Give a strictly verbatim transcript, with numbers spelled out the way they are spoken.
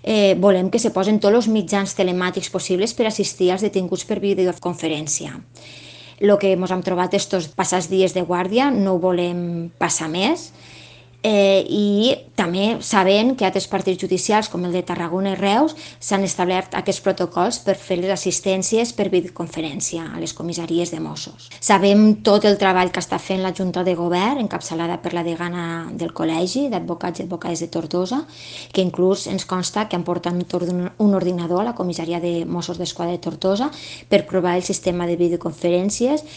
eh, volem que se posen tots els mitjans telemàtics possibles per assistir als detinguts per videoconferència. El que ens hem trobat estos passats dies de guàrdia no ho volem passar més, eh, i també sabent que altres partits judicials com el de Tarragona i Reus s'han establert aquests protocols per fer les assistències per videoconferència a les comissaries de Mossos. Sabem tot el treball que està fent la Junta de Govern, encapçalada per la degana del Col·legi d'Advocats i Advocades de Tortosa, que inclús ens consta que han portat un ordinador a la comissaria de Mossos d'Esquadra de Tortosa per provar el sistema de videoconferències